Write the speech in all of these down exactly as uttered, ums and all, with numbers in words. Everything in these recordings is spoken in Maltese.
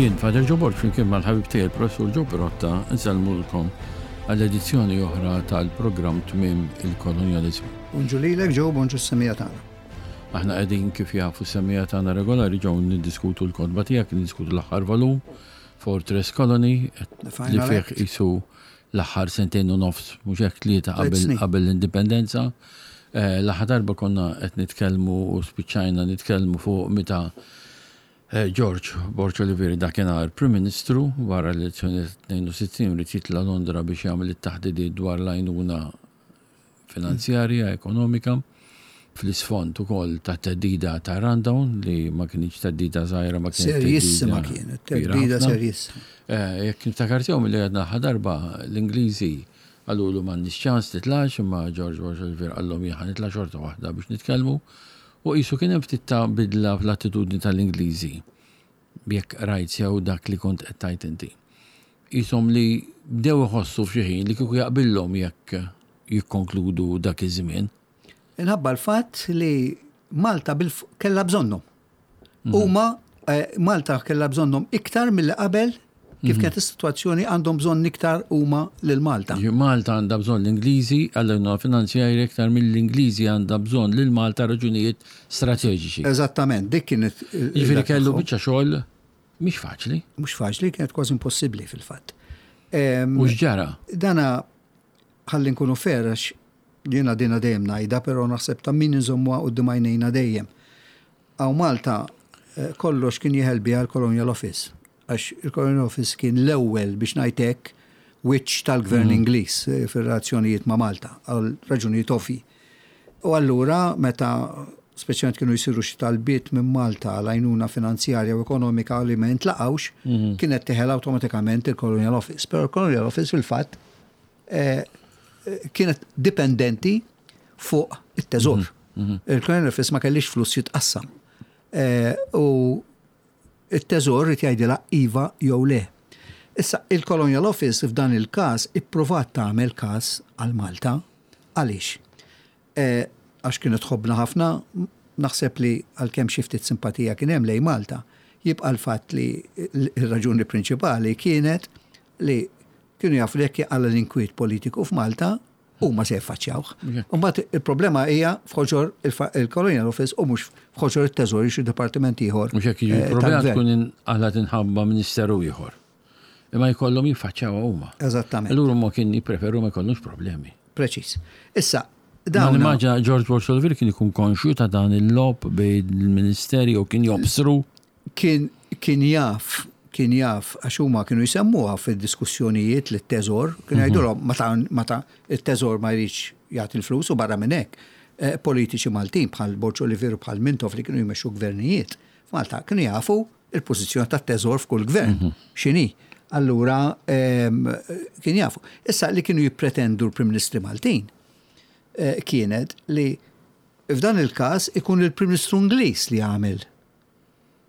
Jien, Father Joe Borg, flimkien mal-ħabib tiegħi il-Professur Joe Pirotta, nsellmulkom għall-edizzjoni oħra tal-programm Tmiem il-Kolonjaliżmu. Bonġu lilek, Joe, bonġu s-semmiegħa tagħna. Aħna qegħdin, kif jafu s-semmiegħa tagħna regolari, ġew niddiskutu l-kotba tiegħek, niddiskutu l-aħħar volum, Fortress Colony, The li Final fih Act. qisu l-aħħar sentejn u nofs, mhux hekk, tlieta Tliet qabel snin. qabel l-indipendenza. Eh, L-aħħar darba konna qed nitkellmu u spiċċajna nitkellmu fuq meta eh, George Borg Olivier, dakinhar Prim Ministru, wara l-elezzjoni tnejn u sittin ried jitla' Londra biex jagħmel it-taħdidiet dwar l-għajnuna finanzjarja, ekonomika, fl-isfond ukoll ta' theddida ta' rundown li ma kienx theddida żgħira, ma kienet Serjissima theddida kienet, kbira theddida ħafna. serjissima. Eh, Jekk niftakar sew milli għedna l-aħħar darba, l-Ingliżi qalulu m'għandniex ċans, titlax, imma George Borg Olivier qallhom jien ħa nitla' xorta waħda biex nitkellmu, u qisu kien hemm ftit ta' bidla fl-attitudni tal-Ingliżi. Jekk rajt sew dak li kont qed tgħid inti. Qishom li bdew iħossu f'xi ħin li kieku jaqbillhom jekk jikkonkludu dak iż-żmien. Inħabba l-fatt li Malta bil kellha bżonnhom. Huma eh, Malta kellha bżonnhom iktar mill qabel, kif kienet is-sitwazzjoni, għandhom bżonn iktar huma lil Malta. Ġi Malta għandha bżonn l-Ingliżi għall finanzjarja iktar mill-Ingliżi għandha bżonn lil Malta raġunijiet strateġiċi. Eżattament, dik kienet il- Jiġifieri dak kellu tagħhom. biċċa xogħol mhix faċli. Mhux faċli, kienet kważi impossibbli fil-fatt. Em, U x'ġara? Dana ħalli nkunu fair, għax jiena dina dejjem ngħidha, però naħseb ta' min inżommuha quddiem għajnejna dejjem. Hawn Malta eh, kollox kien jeħel biha l-Colonial Office. Għax il-Colonial Office kien l-ewwel, biex ngħidlek, wiċċ tal-gvern Ingliż eh, fir-relazzjonijiet ma' Malta għal raġunijiet ovvji. U allura meta speċjalment kienu jsiru xi talbiet minn Malta għal għajnuna finanzjarja u ekonomika li ma jintlaqawx, kienet teħel awtomatikament il-Colonial Office. Però il-Colonial Office fil-fatt eh, eh, kienet dipendenti fuq it-teżor. Il-Colonial Office ma kellix flus jitqassam. Eh, U it-teżor irid jgħidilha iva jew le. Issa, il-Colonial Office f'dan il-każ ippruvat tagħmel każ għal Malta. Għaliex? Eh, Għax kienet tħobbna ħafna, naħseb li għalkemm xi ftit simpatija kien hemm lejn Malta, jibqa' l-fatt li l-raġuni prinċipali kienet li kienu jafu li jekk għalla l-inkwiet politiku f'Malta, huma se jaffaċċjawh. Mbagħad il-problema hija f'ħoġor il-fa- il-Colonial Office u mhux f'ħoġor it-teżor, xi dipartiment ieħor Mhux hekk, jiġi eh, problema tal-gvern. tkun inqalgħet tinħabba ministeru ieħor. Imma jkollhom jiffaċċjawha huma. Eżattament. Allura ma kien jippreferu ma jkollhomx problemi. Preċis. Issa, Dan dawn immaġina George Borg Olivier kien ikun konxju ta' dan il-logħob bejn il-ministeri u kien jobsru. kien kien jaf kien jaf għax huma kienu jsemmuha fid-diskussjonijiet li t-teżor, kienu jgħidulhom meta meta it-teżor ma jridx jagħti l-flus. U barra minn hekk eh, politiċi Maltin bħal Borg Olivier u bħal Mintoff li kienu jmexxu gvernijiet f'Malta kienu jafu il-pożizzjoni tat-teżor f'kull gvern x'inhi. Allura em, kien jafu. Issa li kienu jippretendu l-Prim Ministri Maltin eh, kienet li f'dan il-każ ikun il-Prim Ministru Ingliż li jagħmel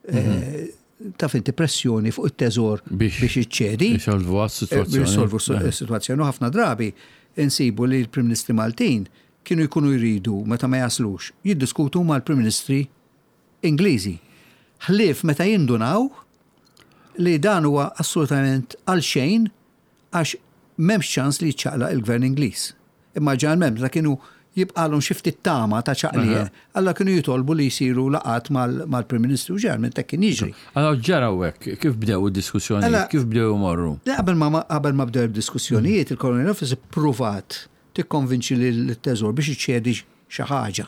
eh, taf inti, pressjoni fuq it-teżor Biex- biex iċċedi. Jisolvu Eh, għas-sitwazzjoni. Biex jisolvu s-sitwazzjoni. U ħafna drabi insibu li l-Prim Ministri Maltin kienu jkunu jridu, meta ma jaslux, jiddiskutu mal-Prim Ministri Ingliżi. Ħlief meta jindunaw li dan huwa assolutament għal xejn, għax m'hemmx ċans li jċaqlaq il-gvern Ingliż. Imma ġeneralment meta kienu jibqalhom xi ftit tama ta' ċaqliq, alla kienu jitolbu li jsiru laqat mal- mal-Prim Ministru, ġeneralment hekk kien jiġri. Allora ġara hekk, kif bdew id-diskussjonijiet, Alla- kif bdew imorru? Le, qabel ma qabel ma bdew diskussjonijiet, il-Colonial Office ippruvat tikkonvinċi lil teżor biex iċċedi xi ħaġa.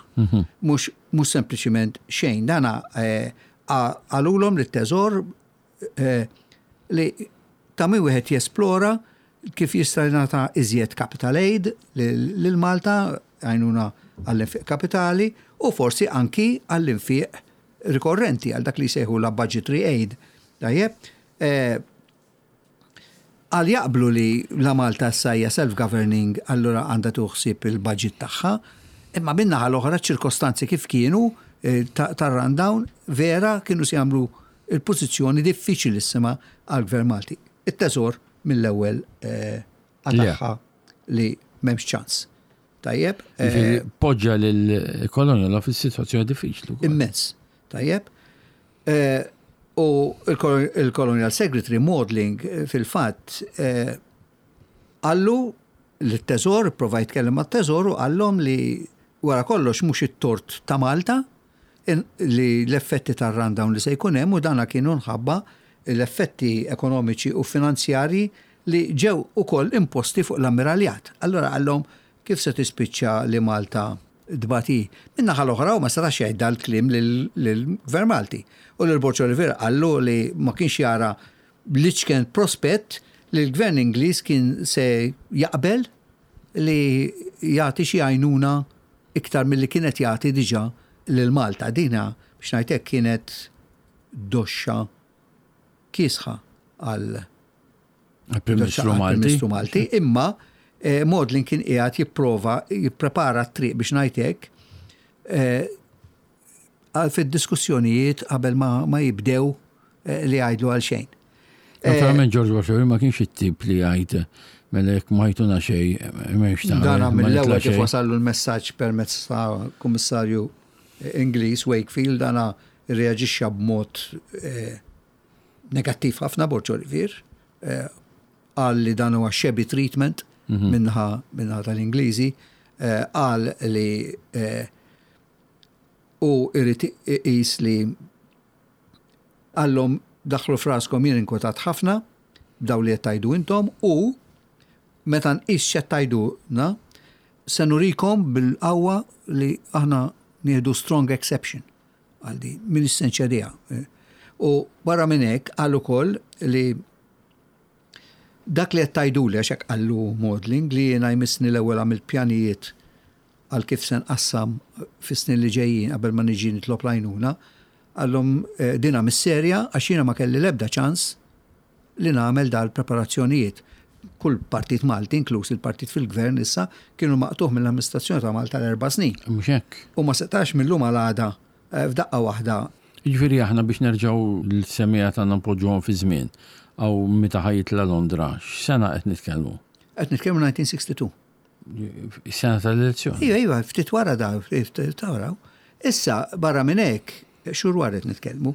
Mhux mhux sempliċiment xejn. Dana eh, qa- qalulhom lit-teżor eh, li ta' min wieħed jesplora kif jista' jingħata iżjed capital aid lil lil Malta, għajnuna għall-infiq kapitali u forsi anki għall-infiq rikorrenti, għal dak li jsejħu la budgetary aid. Tajjeb, eh, għal jaqblu li la Malta issa hija self-governing, allura għandha tuħsib il-budget tagħha, imma min-naħa l-oħra ċirkostanzi kif kienu eh, ta- tar-rundown vera kienu se jagħmlu il-pożizzjoni diffiċilissima għal-gvern Malti. It-teżor mill-ewwel eh, qatagħha li m'hemmx ċans. Tajjeb, eh, Jiġifieri poġġa lill-Colonial Office situazzjoni diffiċli wkoll. Immens. Tajjeb. Eh, U il-Colonial Secretary Maudling eh, fil-fatt eh, qallu l-teżor, prova jitkellem mat-teżor u qallhom li wara kollox mhux it-tort ta' Malta li l-effetti tar-rundown li se jkun hemm, u dana kienu minħabba l-effetti ekonomiċi u finanzjari li ġew ukoll imposti fuq l-ammiraljat. Allora qallhom, kif se tispiċċa li Malta tbati? Min-naħa l-oħra u ma setax jgħid dal-kliem lill-Gvern Malti. U lil Borg Olivier qallu li ma kienx jara l-iċken prospett li l-Gvern Ingliż kien se jaqbel li jagħti xi għajnuna iktar milli kienet jagħti diġà lil Malta. Dina, biex ngħidlek, kienet doxxa kiesħa għal Prim Ministru Malti. Ministru Malti, imma eh, Maudling kien qiegħed jipprova jipprepara t-triq, biex ngħidlek, eh, għal fid-diskussjonijiet qabel ma, ma jibdew eh, li jgħidlu għal xejn. Naturalment George Washington ma kienx it-tip li jgħid, mela jekk ma jtuna xejn, m'hemmx ta' Dana ma mill-ewwel nitla' kif xejn. wasallu l-messaġġ permezz ta' kummissarju Ingliż Wakefield, dana reaġixxa b'mod eh, negattiv ħafna Borg Olivier. eh, Qal li dan huwa shabby treatment min-naħa min-naħa tal-Ingliżi, eh, qal li eh, u irid iqis li qallhom, daħħlu f'raskom, jien inkwetat ħafna b'daw li qed tgħidu intom u meta nqis x'qed tgħiduna se nurikom bil-qawwa li aħna nieħdu strong exception għal din, m'iniex se nċediha. U barra minn hekk qal ukoll li dak li qed tgħiduli, għax hekk qallu Maudling, li jiena jmissni l-ewwel għamilt pjanijiet għal kif se nqassam fis-snin li ġejjin qabel ma niġi nitlob l-għajnuna, qallhom eh, dina mis-serja għax jiena ma kelli l-ebda ċans li nagħmel dal-preparazzjonijiet. Kull partit Malti, inkluż il-partit fil-gvern issa, kienu maqtugħ mill-amministrazzjoni ta' Malta l-erba' snin. Mhux hekk. U ma setax mill-lum għal għada eh, f'daqqa waħda. Jiġifieri aħna biex nerġgħu l-semmiegħa tagħna npoġġuhom fi żmien aw meta ħa jitla' Londra, x'sena qed nitkellmu? Qed nitkellmu elf disa' mija u sitta u sittin. Is-sena tal-elezzjoni. Iva, iva, ftit wara da, ftit wara. Issa, barra minn hekk, xhur wara qed nitkellmu,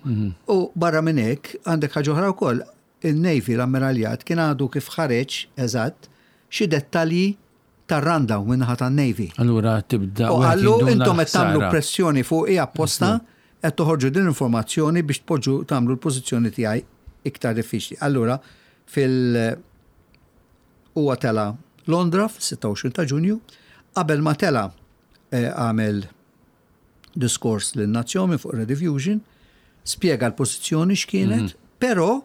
u barra minn hekk għandek ħaġa oħra wkoll, il-Navy, l-ammiraljat, kien għadu kif ħareġ eżatt xi dettalji tar-rundown min-naħa tan-Navy. Allura tibda U wieħed qallu jinduna intom qed tagħmlu l-ħsara. pressjoni fuq apposta, qed toħorġu din l-informazzjoni biex tpoġġu tagħmlu l-pożizzjoni tiegħi iktar diffiċli. Allura fil huwa tela Londra fis-sitta u għoxrin ta' Ġunju, qabel ma tela eh, għamel diskors lin-nazzjon minn fuq Rediffusion, spjega l-pożizzjoni x'kienet, però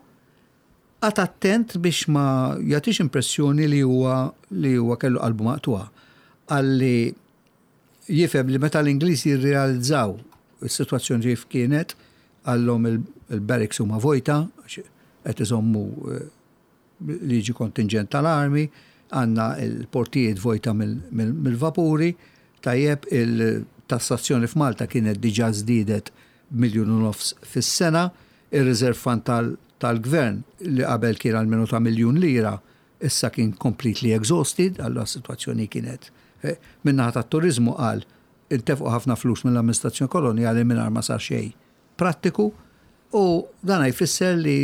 qagħad attent biex ma jagħtix impressjoni li huwa li huwa kellu qalbu maqtugħa. Qalli jifhem li meta l-Ingliżi jirrealizzaw is-sitwazzjoni kif kienet, qallhom il-barracks huma vojta, għax qed iżommu eh, liġi kontingent tal-armi, għandna il-portijiet vojta mill-vapuri, tajjeb, il-tassazzjoni f'Malta kienet diġà żdiedet miljun u nofs fis-sena, il-reserve fund tal-gvern li qabel kien għal ta' miljun lira, issa kien completely exhausted, allura s-situazzjoni kienet. Eh, min-naħa tat-turizmu qal intefqu ħafna flus mill-amministrazzjoni koloniali mingħajr ma sar xejn prattiku u dan jfisser li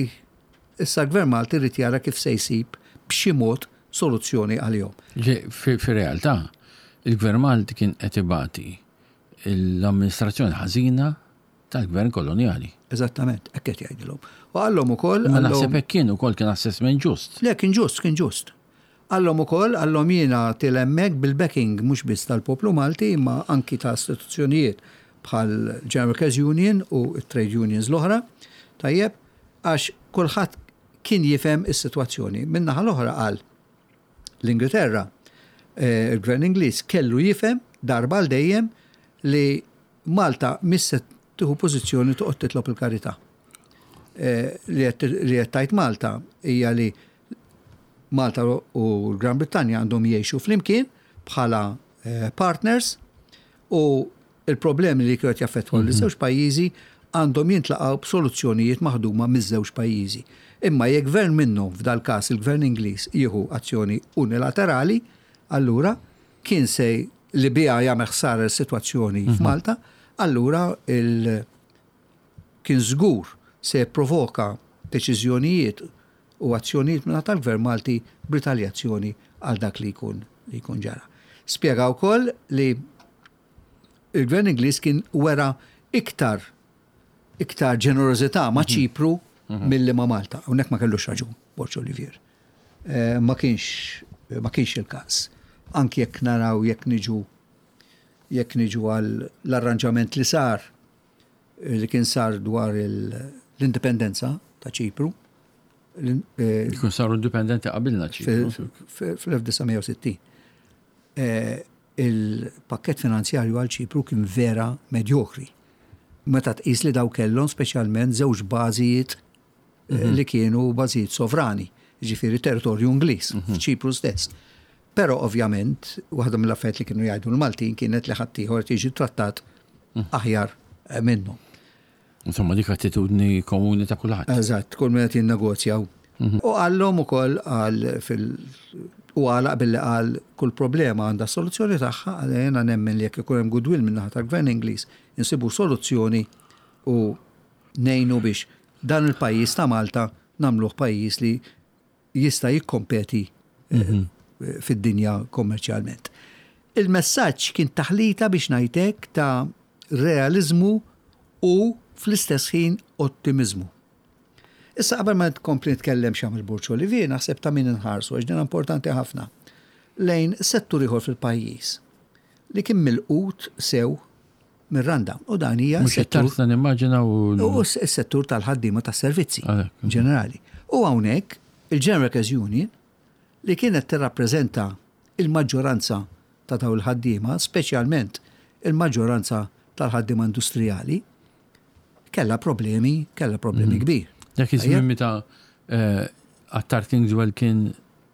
issa l-gvern Malti rrid jara kif se jsib b'xi mod soluzzjoni għalihom. Fi realtà, il-gvern Malti kien qed ibati l-amministrazzjoni ħażina tal-gvern koloniali. Eżattament, hekk qed jgħidilhom. U qallhom ukoll. Ma naħseb hekk kien ukoll, kien assessment ġust. Le, kien ġust, kien ġust. Qallhom ukoll, qallhom jiena tiela' hemmhekk bil-backing mhux biss tal-poplu Malti imma anki ta' istituzzjonijiet bħal General Workers Union u trade unions l-oħra. Tajjeb, għax kulħadd kien jifhem is-sitwazzjoni. Min-naħa l-oħra qal l-Ingilterra, eh, il-Gvern Ingliż kellu jifhem darba għal dejjem li Malta mhix se tieħu pożizzjoni toqgħod titlob il-karità. Eh, li qed tgħid Malta hija li Malta u l-Gran Brittanja għandhom jgħixu flimkien bħala eh, partners u il-problemi li kienu jaffettwaw mm -hmm. l-żewġ pajjiżi għandhom jintlaqgħu b'soluzzjonijiet maħduma miż-żewġ pajjiżi. Imma jekk gvern minnhom, f'dal każ il-gvern Ingliż, jieħu azzjoni unilaterali, allura kien se li biha jagħmel ħsara l-sitwazzjoni mhm. f'Malta, allura il kien żgur se provoka deċiżjonijiet u azzjonijiet minn tal-Gvern Malti b'ritaljazzjoni għal dak li jkun li jkun ġara. Spjega wkoll li il-Gvern Ingliż kien wera iktar iktar ġenerożità ma' mhm. Ċipru mhm. milli ma' Malta. Hawnhekk ma kellux raġun, Borg Olivier. Eh, ma kienx ma kienx il-każ. Anki jekk naraw jekk niġu jekk niġu għal l-arranġament li sar li kien sar dwar l-indipendenza ta' Ċipru. Eh, Jkun saru indipendenti qabilna Ċipru. Fl-elf disa' mija u sittin. Eh, il-pakket finanzjarju għal Ċipru kien vera medjokri. Meta tqis li daw kellhom speċjalment żewġ bażijiet eh, mhm. li kienu bażijiet sovrani, ġifieri territorju Ingliż, mhm. f'Ċipru stess. Però ovvjament, waħda mill-affarijiet li kienu jgħidu l-Maltin kienet li ħaddieħor tiġi trattat mhm. aħjar minnhom. Insomma, dik attitudni komuni ta' kulħadd. Eżatt, kull min qed jinnegozjaw. Mhm. U qallhom ukoll għal fil u għalaq billi qal kull problema għandha soluzzjoni tagħha, għal jiena nemmen li jekk ikun hemm goodwill minn naħa tal-Gvern Ingliż insibu soluzzjoni u ngħinu biex dan il-pajjiż ta' Malta nagħmluh pajjiż li jista' jikkompeti eh, mhm. fid-dinja kommerċjalment. Il-messaġġ kien taħlita, biex ngħidlek, ta' realizmu u fl-istess ħin ottimizmu. Issa, qabel ma tkompli nitkellem x'għamel Borg Olivier, naħseb ta' min inħarsu, għax din importanti ħafna, lejn settur ieħor fil-pajjiż li kien milqut sew mir-rundown. U dan hija Mhux settur nimmaġina u U s-settur tal-ħaddiema tas-servizzi ġenerali. U hawnhekk il-General Workers Union, li kienet tirrappreżenta il-maġġoranza ta' dawn il-ħaddiema, speċjalment il-maġġoranza tal-ħaddiema industrijali, kella problemi, kella problemi mhm. kbir. Dak iż-żmien meta eh, Attard Kingswell kien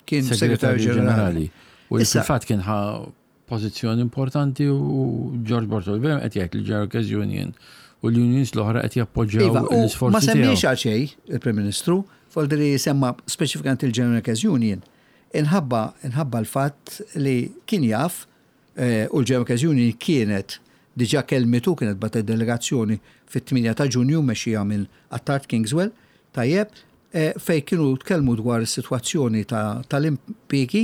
kien segretarju ġenerali. U fil-fatt kien ħa pożizzjoni importanti u George Borg Olivier qed jgħid li General Workers Union u l-unions l-oħra qed jappoġġjaw iva, l-isforzi. Ma semmiex għal xejn il-Prim Ministru, voldiri semma speċifikament il-General Workers Union. Inħabba inħabba l-fatt li kien jaf eh, u l-General Workers Union kienet diġa kelmitu, kienet bagħtet delegazzjoni fit-tmienja ta' Ġunju mexxija minn Attard Kingswell, tajjeb, eh, fej kienu tkellmu dwar is-sitwazzjoni tal-impjiegi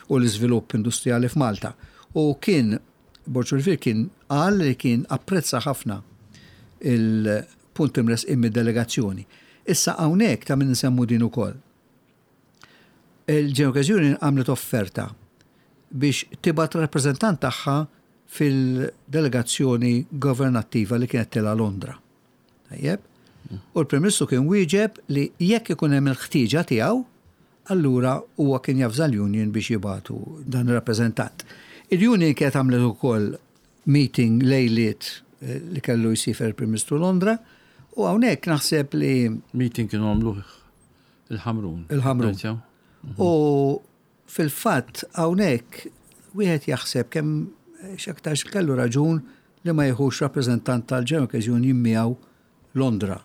u l-iżvilupp industrijali f'Malta. U kien Borg Olivier kien qal li kien apprezza ħafna il-punt imressqin mid-delegazzjoni. Issa, hawnhekk ta' min nsemmu din ukoll. Il-General Union għamlet offerta biex tibgħat rappreżentant tagħha fil-delegazzjoni governattiva li kienet tela Londra. Tajjeb? U l-Prim Ministru kien wieġeb li jekk ikun hemm il-ħtieġa tiegħu, allura huwa kien javża l-union biex jibagħtu dan ir-rappreżentant. Il-union kienet għamlet ukoll meeting lejliet eh, li kellu jsiefer il-Prim Ministru Londra u hawnhekk naħseb li Meeting kienu għamluh il-Ħamrun. Il-Ħamrun. U fil-fatt hawnhekk wieħed jaħseb kemm x'aktarx kellu raġun li ma jieħux rappreżentant tal-General Workers Union miegħu Londra.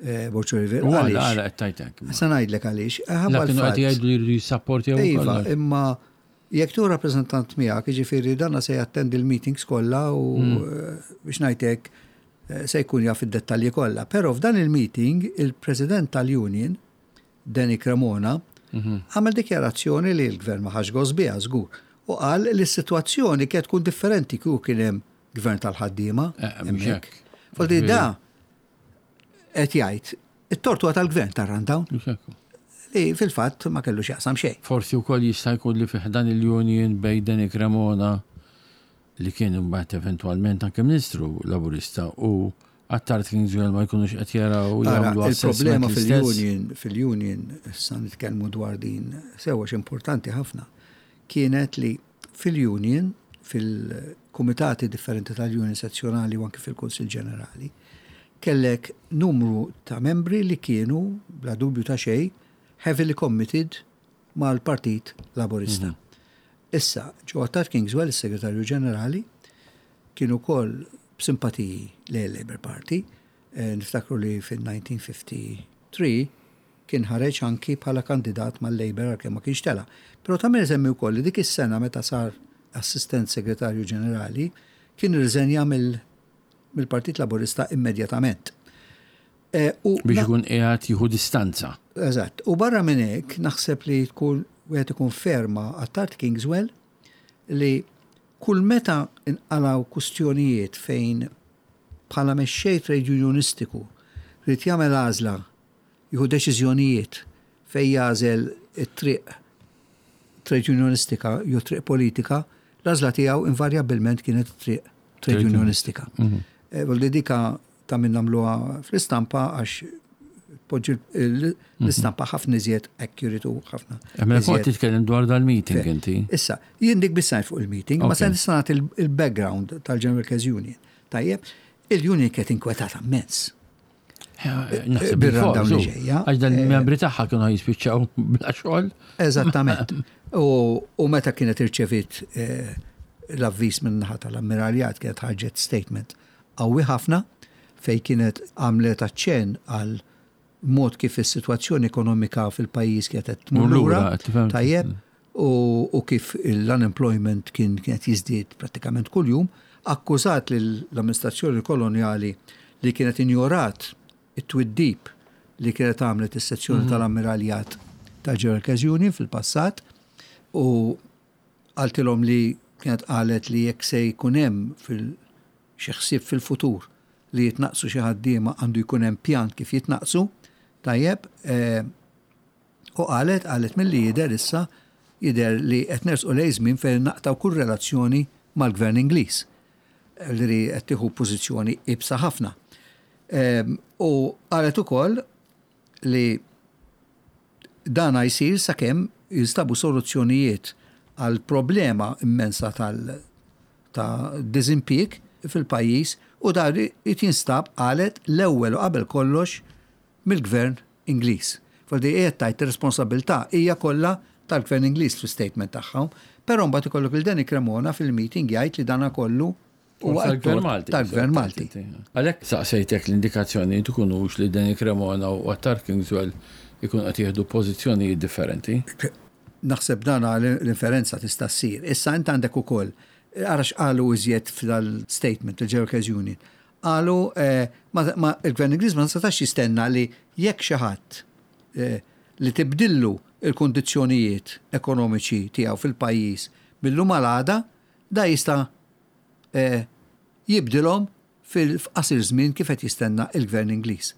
Eh, Borg Olivier. U għala għala qed tgħidlek? Sa ngħidlek għaliex. La kienu qed jgħidu li jridu jissapportjaw. Iva, imma jekk tu rappreżentant miegħek, jiġifieri danna se jattendi l-meetings kollha u mm. eh, biex ngħidlek eh, se jkun jaf id-dettalji kollha. Però f'dan il-meeting il-President tal-Union, Danny Cremona, mhm. għamel dikjarazzjoni li l-gvern ma ħax gost biha żgur. U qal li s-sitwazzjoni kienet tkun differenti kieku kien hemm gvern tal-ħaddiema. Eh, Foldi da qed jgħid it-tort huwa tal-gvern tar-rundown. Li fil-fatt ma kellu x'jaqsam xejn. Forsi wkoll jista' jkun li fih dan il-union bejn Danny Cremona, li kien imbagħad eventwalment anke Ministru Laburista, u Attard Kingswell ma jkunux qed jaraw jagħmlu Il-problema fil-union, fil-union, issa nitkellmu dwar din sewwa importanti ħafna, kienet li fil-union, fil-kumitati differenti tal-union sezzjonali u anke fil-Kunsil Ġenerali, kellek numru ta' membri li kienu, bla dubju ta' xejn, heavily committed mal-Partit Laburista. Mm -hmm. Issa, Joe Attard Kingswell, il-Segretarju Ġenerali, kien ukoll b'simpatiji lejn Labour Party. Eh, niftakru li fil-elf disa' mija u tlieta u ħamsin kien ħareġ anki bħala kandidat mal-Labour għalkemm ma kienx tela. Però ta' min isemmi wkoll li dik is-sena meta sar Assistent Segretarju Ġenerali kien irriżenja mill-Partit Laburista immedjatament. Eh, u Biex ikun qiegħed jieħu distanza. Eżatt. U barra minn hekk naħseb li tkun wieħed ikun fair ma' Attard Kingswell li kull meta inqalaw kustjonijiet fejn bħala mexxej trade unionistiku rrid jagħmel għażla, jieħu deċiżjonijiet fejn jagħżel it-triq trade unionistika jew triq politika, l-għażla tiegħu invarjabbilment kienet triq trade unionistika. Mhm. Eh, Voldi dika ta' min nagħmluha fl-istampa għax poġġi l-istampa ħafna iżjed accurate u ħafna. Mela kont titkellem dwar dal-meeting inti. Issa, jien dik biss fuq il-meeting, ma se nista' nagħti il-background tal-General Workers Union. Tajjeb, il-union kienet inkwetata immens. Naħseb bil-dawn li ġejja. Għax dan il-membri tagħha kienu jispiċċaw bla xogħol. Eżattament. U meta kienet irċevit eh, l-avviż minn naħa tal-ammiraljat, kienet ħarġet statement qawwi ħafna fej kienet għamlet aċċen għal mod kif is-sitwazzjoni ekonomika fil-pajjiż kienet tmur lura, tajjeb, u kif l-unemployment kien kienet jiżdied prattikament kuljum, akkużat l-amministrazzjoni koloniali li kienet injorat it-twiddib li kienet għamlet is-sezzjoni mhm. tal-ammiraljat tal-General Workers Union fil-passat u qaltilhom li kienet qalet li jekk se jkun hemm fil xi ħsieb fil-futur li jitnaqsu xi ħaddiema, għandu jkun hemm pjan kif jitnaqsu, tajjeb, eh, u qalet qalet milli jidher issa jidher li qed nersqu lejn żmien fejn naqtaw kull relazzjoni mal-Gvern Ingliż. Li qed tieħu pożizzjoni ibsa ħafna. Ehm, u qalet ukoll li dana jsir sakemm jinstabu soluzzjonijiet għal problema immensa tal ta' diżimpjieg fil-pajjiż u dar jinstab, qalet, l-ewwel u qabel kollox mill-Gvern Ingliż. Voldi qiegħed tajt ir-responsabilità hija kollha tal-Gvern Ingliż fl-statement tagħhom, però mbagħad ikollok il Danny Cremona fil-meeting jgħid li dana kollu huwa tal-Gvern Malti. Tal-Gvern Malti. Għalhekk saqsejtek l-indikazzjoni tkunux li Danny Cremona u Attard Kingswell ikun qed jieħdu pożizzjonijiet differenti. Naħseb dana l-inferenza tista' ssir. Issa int għandek ukoll ara x'qalu iżjed fil-statement il-General Workers Union. Qalu eh, il-Gvern Ingliż ma setax jistenna li jekk xi ħadd eh, li tibdillu il-kondizzjonijiet ekonomiċi tiegħu fil-pajjiż mil-lum għal da jista' eh, jibdilhom fil-qasir żmien kif qed jistenna il-Gvern Ingliż.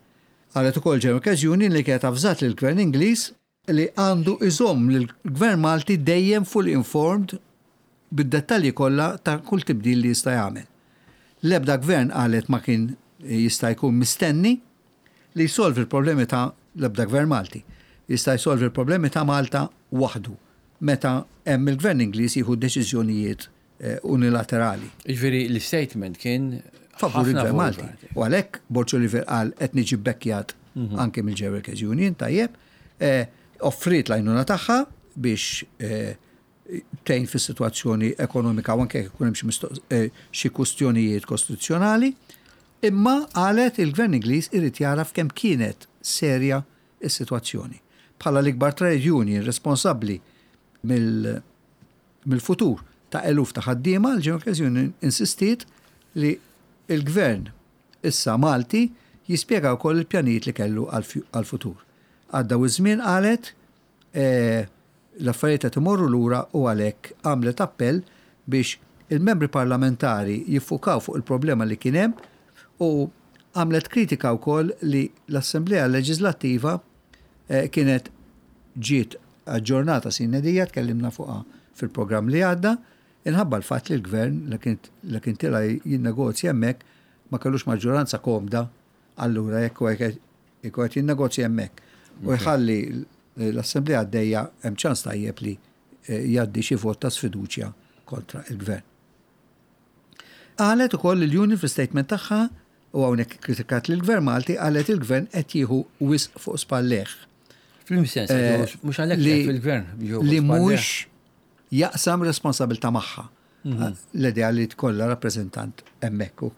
Qalet ukoll General Workers Union li kienet avżat lill-Gvern Ingliż li għandu iżomm lill-Gvern Malti dejjem fully informed bid-dettalji kollha ta' kull tibdil li jista' jagħmel. L-ebda gvern, qalet, ma kien jista' jkun mistenni li jsolvi l-problemi ta' l-ebda gvern Malti jista' jsolvi l-problemi ta' Malta waħdu meta hemm il-Gvern Ingliż jieħu deċiżjonijiet eh, unilaterali. Jiġifieri l-statement kien favur il-Gvern Malti. U għalhekk Borg Olivier qal qed niġi bekkjat mhm. anke mill-General Workers Union, tajjeb, eh, offrit l-għajnuna tagħha biex eh, tgħin fis-sitwazzjoni ekonomika u anke jkun hemm xi eh, kwistjonijiet kostituzzjonali, imma qalet il-Gvern Ingliż irid jaraf kemm kienet serja is-sitwazzjoni. Bħala l-ikbar trade union responsabbli mill-futur ta' eluf ta' ħaddiema, l-General Workers Union insistiet li il-Gvern issa Malti jispjega wkoll il-pjanijiet li kellu għal-futur. Għadda iż-żmien, qalet, eh, l-affarijiet qed imorru lura u għalhekk għamlet appell biex il-membri parlamentari jiffukaw fuq il-problema li kien hemm u għamlet kritika wkoll li l-Assemblea Leġislattiva eh, kienet ġiet aġġornata sine die, tkellimna fuqha fil-programm li għadda, inħabba l-fatt li l-gvern li kien tila jinnegozja hemmhekk ma kellux maġġoranza komda, allura jekk qed jinnegozja hemmhekk u jħalli l-Assemblea għaddejja, hemm ċans tajjeb li eh, jgħaddi xi vot ta' sfiduċja kontra il-gvern. Qalet ukoll il-union fl-statement tagħha, u hawnhekk kritikat lill-Gvern Malti, qalet il-gvern qed jieħu wisq fuq spallejh. Fil-sens, eh, mhux għalhekk fil-gvern. Li mhux jaqsam responsabilità magħha. Mhm. L-idea li tkollha rappreżentant hemmhekk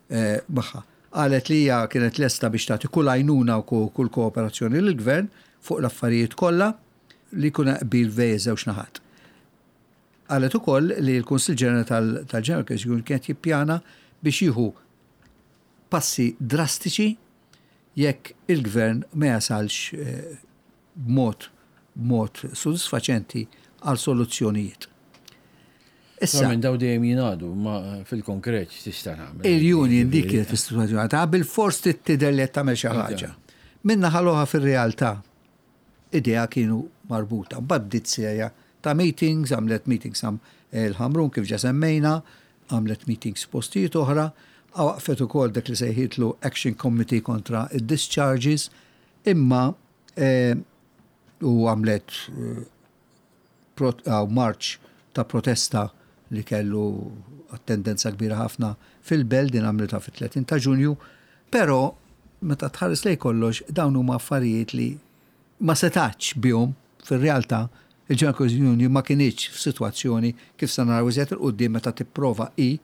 eh, magħha. Qalet li hija kienet lesta biex tagħti kull għajnuna u kull kooperazzjoni lill-gvern fuq l-affarijiet kollha li jkun qbil bejn żewġ naħat. Qalet ukoll li l-Kunsill Ġenerali tal-General Workers Union kienet jippjana biex jieħu passi drastiċi jekk il-gvern ma jasalx eh, b'mod b'mod sodisfaċenti għal soluzzjonijiet. Issa minn daw dejjem jingħadu, ma fil-konkret tista' tagħmel. Il-union dik kienet fis-sitwazzjoni ta' bil-fors tidher li qed tagħmel xi ħaġa. Minna ħaloha fir-realtà idea kienu marbuta. Mbagħad bdiet serja ta' meetings, għamlet meetings am il-Ħamrun kif ġa semmejna, għamlet meetings postijiet oħra, waqfet ukoll dak li sejħitlu Action Committee kontra id-discharges, imma eh, u għamlet eh, marċ ta' protesta li kellu attendenza kbira ħafna fil-Belt, din għamlitha fit-tletin ta' Ġunju, però meta tħares lej kollox dawn huma affarijiet li ma setax bihom fir-realtà. Il-General Cohesion Union ma kinitx f'sitwazzjoni, kif se naraw iżjed 'il quddiem meta tipprova i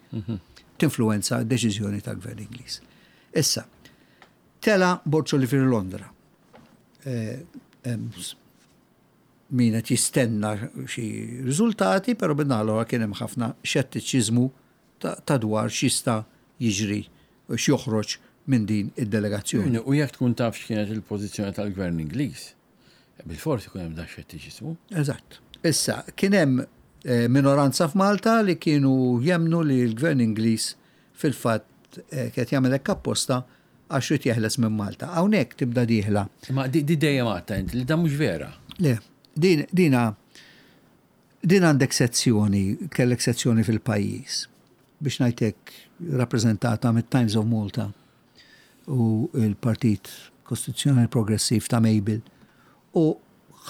tinfluwenza deċiżjoni tal-Gvern Ingliż. Issa, tela Borg Olivier Londra. Eh, min qed jistenna xi riżultati, però bin-naħa kien hemm ħafna xettiċiżmu ta' dwar x'jista' jiġri u x'joħroġ minn din id-delegazzjoni. U jekk tkun taf x'kienet il-pożizzjoni tal-Gvern Ingliż, bil-forsi ikun hemm dan xettiċiżmu. Eżatt. Issa, kien hemm eh, minoranza f'Malta li kienu jemnu li l-Gvern Ingliż fil-fatt eh, kien jagħmel hekk apposta għax irid jeħles minn Malta. Hawnhekk tibda dieħla. Ma di dejjem għadta inti li dan mhux vera. Le, din dina din għandek sezzjoni, kellek sezzjoni fil-pajjiż, biex ngħidlek, rappreżentata mit-Times of Malta u il-Partit Kostituzzjonali Progressiv ta' Mabel u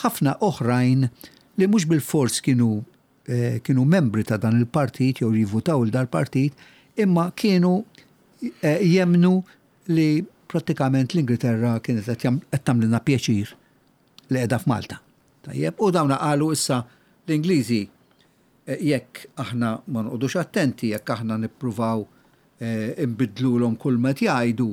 ħafna oħrajn li mhux bil-fors kienu eh, kienu membri ta' dan il-partit jew jivvutaw il dal-partit, imma kienu eh, jemnu li prattikament l-Ingilterra kienet qed tagħmlilna pjaċir li qiegħda f'Malta. Tajjeb, u dawna qalu: issa l-Ingliżi eh, jekk aħna ma noqogħdux attenti, jekk aħna nippruvaw nbiddlulhom kull ma jgħidu,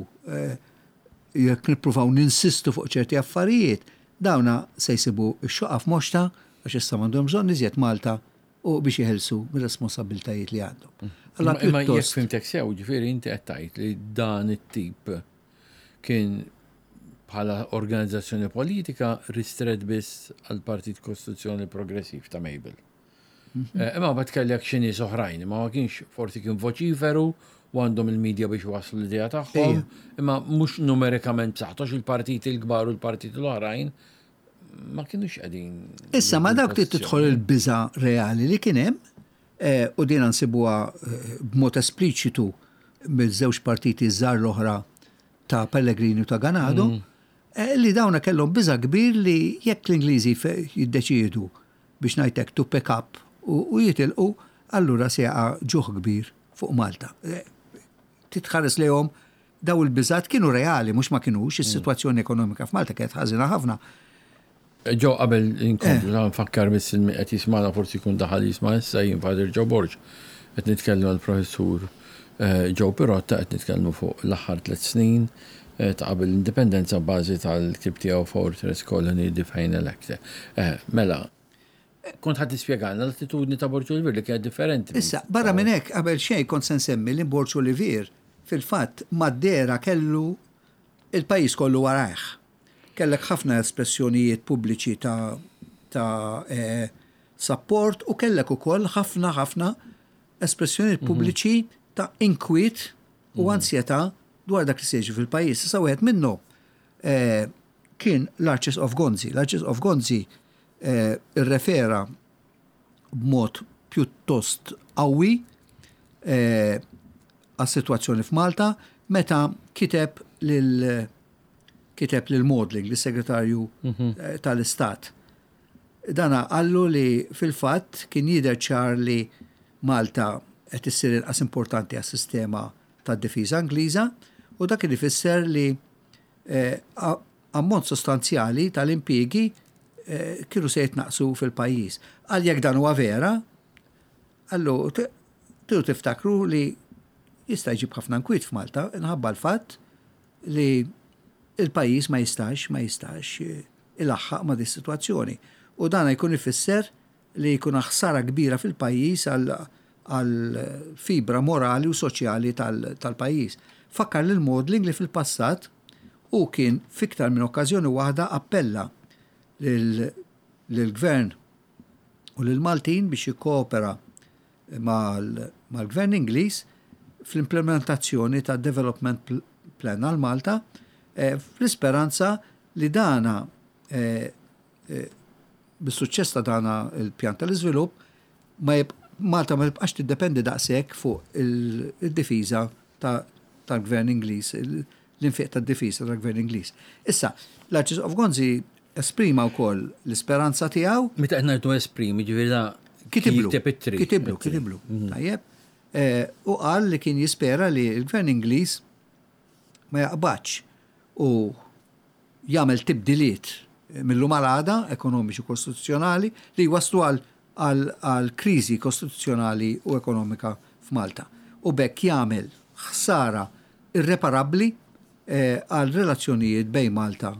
jekk nippruvaw ninsistu fuq ċerti affarijiet, dawna se jsibu x-xoqqa f'moxta għax issa m'għandhom bżonn iżjed Malta u biex jeħilsu mir-responsabbiltajiet li għandhom. Allora imma jekk fhimtek sew, ġifieri inti qed tgħid li dan it-tip kien bħala organizzazzjoni politika ristret biss għal Partit Kostituzzjoni Progressiv ta' Mabel. Mhm. Eh, imma bat kellek xi nies oħrajn, ma ma kienx, forsi kien voċiferu u għandhom il-medja biex waslu l-idea tagħhom, imma mhux numerikament b'saħħtu, il-partiti l-kbar u l-partiti l-oħrajn ma kienux qegħdin. Issa ma dawk tidħol il-biża reali li kien hemm eh, u din nsibuha eh, b'mod espliċitu mill-żewġ partiti żgħar l-oħra ta' Pellegrini u ta' Ganado, mm. eh, li dawna kellhom biża kbir li jekk l-Ingliżi jiddeċiedu, biex ngħidlek, to pick up u jitilqu, allura se jaqa' ġuħ kbir fuq Malta. Titħares lejhom, daw il-biżat kienu reali, mhux ma kienux, is-sitwazzjoni ekonomika f'Malta kienet ħażina ħafna. Ġo, qabel inkomplu, eh. nfakkar biss qed jismana, forsi jkun daħal jisma' issa, jien Father Joe Borg, qed nitkellmu għall-professur eh, Joe Pirotta, qed nitkellmu fuq l-aħħar tliet snin eh, ta' qabel l-indipendenza bażi tal-ktieb tiegħu Fortress Colony The Final Act. Mela, kont ħa tispjegalna l-attitudni ta' Borg Olivier li kienet differenti. Issa, barra minn hekk, qabel xejn kont se nsemmi li Borg Olivier fil-fatt mad-dehra kellu il-pajjiż kollu warajh. Kellek ħafna espressjonijiet pubbliċi ta', ta eh, support u kellek ukoll ħafna ħafna espressjonijiet mhm. pubbliċi ta' inkwiet u mhm. ansjetà dwar dak li se jiġri fil-pajjiż. Issa wieħed minnu eh, kien l-Arċisqof Gonzi. L-Arċisqof Gonzi eh, irrefera b'mod pjuttost qawwi eh, għas-sitwazzjoni f'Malta meta kiteb lil kiteb lil Maudling, lis-segretarju mhm. eh, tal-Istat. Dana qallu li fil-fatt kien jidher ċar li Malta qed issir inqas importanti għas-sistema tad-difiża Ingliża u dak kien ifisser li eh, ammont sostanzjali tal-impjiegi eh, kienu se jitnaqsu fil-pajjiż. Għal jekk dan huwa vera, qallu tridu tiftakru li jista' jġib ħafna nkwiet f'Malta minħabba l-fatt li il-pajjiż ma jistax ma jistax eh, ilaħħaq ma' dis situazzjoni. U dan jkun ifisser li jkun ħsara kbira fil-pajjiż għal fibra morali u soċjali tal-pajjiż. Fakkar lil Maudling li fil-passat U kien fiktar minn okkażjoni waħda appella lill-gvern u lill-Maltin biex jikkoopera mal-gvern Ingliż fl-implementazzjoni ta' Development Plan għal Malta, eh, fl-isperanza li dana eh, eh, bis-suċċess ta' dana il-pjan tal-iżvilupp ma Malta ma tibqax tiddependi daqshekk fuq il-difiża tal-gvern Ingliż, l-infiq tad-difiża tal-gvern Ingliż. Issa, l-Arċisqof Gonzi esprima wkoll l-isperanza tiegħu. Meta qed ngħidu esprimi, ġifieri da kitiblu. Kitiblu, kitiblu. Mhm. Tajjeb. Eh, u qal li kien jispera li l-gvern Ingliż ma jaqbadx u jagħmel tibdiliet mil-lum għal għada ekonomiċi kostituzzjonali li waslu għal għal kriżi kostituzzjonali u ekonomika f'Malta. U b'hekk jagħmel ħsara irreparabbli eh, għal relazzjonijiet bejn Malta